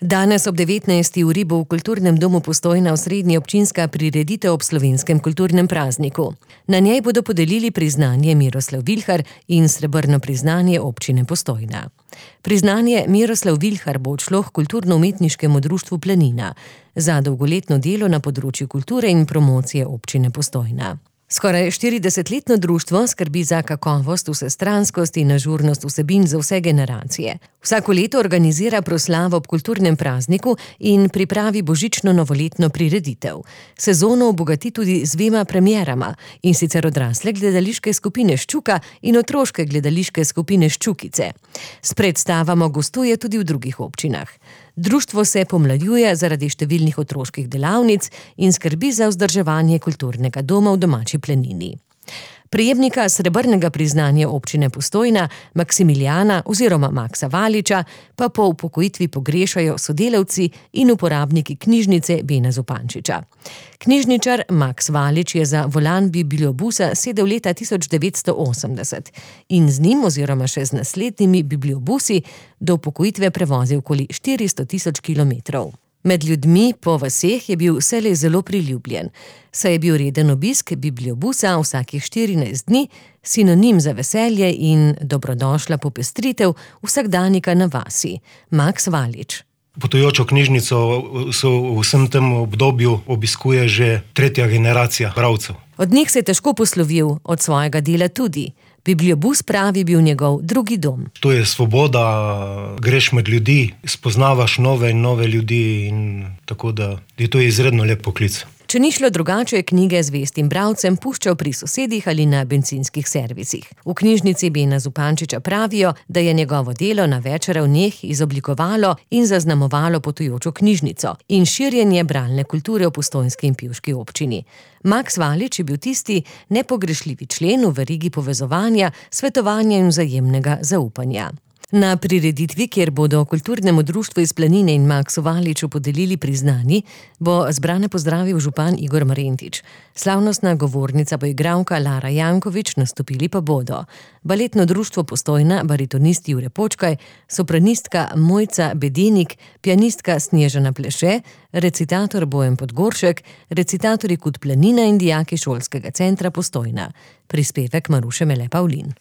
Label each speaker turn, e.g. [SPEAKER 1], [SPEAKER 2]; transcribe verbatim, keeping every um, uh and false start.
[SPEAKER 1] Danes ob devetnajsti uri bo v Kulturnem domu Postojna osrednja občinska prireditev ob slovenskem kulturnem prazniku. Na njej bodo podelili priznanje Miroslav Vilhar in srebrno priznanje občine Postojna. Priznanje Miroslav Vilhar bo odšlo h Kulturno-umetniškemu društvu Planina za dolgoletno delo na področju kulture in promocije občine Postojna. Skoraj štiridesetletno društvo skrbi za kakovost, vsestranskost in ažurnost vsebin za vse generacije. Vsako leto organizira proslavo ob kulturnem prazniku in pripravi božično-novoletno prireditev. Sezono obogati tudi z dvema premierama, in sicer odrasle gledališke skupine Ščuka in otroške gledališke skupine Ščukice. S predstavama gostuje tudi v drugih občinah. Društvo se pomlajuje zaradi številnih otroških delavnic in skrbi za vzdrževanje kulturnega doma v domači Planini. Prejemnika srebrnega priznanja občine Postojna, Maksimilijana oziroma Maksa Valiča, pa po upokojitvi pogrešajo sodelavci in uporabniki knjižnice Bena Zupančiča. Knjižničar Maks Valič je za volan bibliobusa sedel leta tisoč devetsto osemdeset in z njim oziroma še z naslednjimi bibliobusi do upokojitve prevozil okoli štiristo tisoč kilometrov. Med ljudmi po vaseh je bil vselej zelo priljubljen, saj je bil reden obisk bibliobusa vsakih štirinajst dni sinonim za veselje in dobrodošla popestritev vsakdanika na vasi. Maks Valič.
[SPEAKER 2] Potujočo knjižnico so v vsem tem obdobju obiskuje že tretja generacija bralcev.
[SPEAKER 1] Od njih se je težko poslovil, od svojega dela tudi. Bibliobus pravi bil njegov drugi dom.
[SPEAKER 2] To je svoboda, greš med ljudi, spoznavaš nove in nove ljudi in tako da je to izredno lep poklic.
[SPEAKER 1] Če ni šlo drugače, je knjige zvestim bralcem puščal pri sosedih ali na bencinskih servisih. V knjižnici Bena Zupančiča pravijo, da je njegovo delo na več ravneh izoblikovalo in zaznamovalo potujočo knjižnico in širjenje bralne kulture v postojnski in pivški občini. Maks Valič je bil tisti nepogrešljivi člen v verigi povezovanja, svetovanja in vzajemnega zaupanja. Na prireditvi, kjer bodo kulturnemu društvu iz Planine in Maksu Valiču podelili priznanji, bo zbrane pozdravil župan Igor Marentič. Slavnostna govornica bo igralka Lara Jankovič, nastopili pa bodo baletno društvo Postojna, baritonist Jure Počkaj, sopranistka Mojca Bedenik, pianistka Snježana Pleše, recitator Bojan Podgoršek, recitatorji Kud Planina in dijaki šolskega centra Postojna. Prispevek Maruše Mele Pavlin.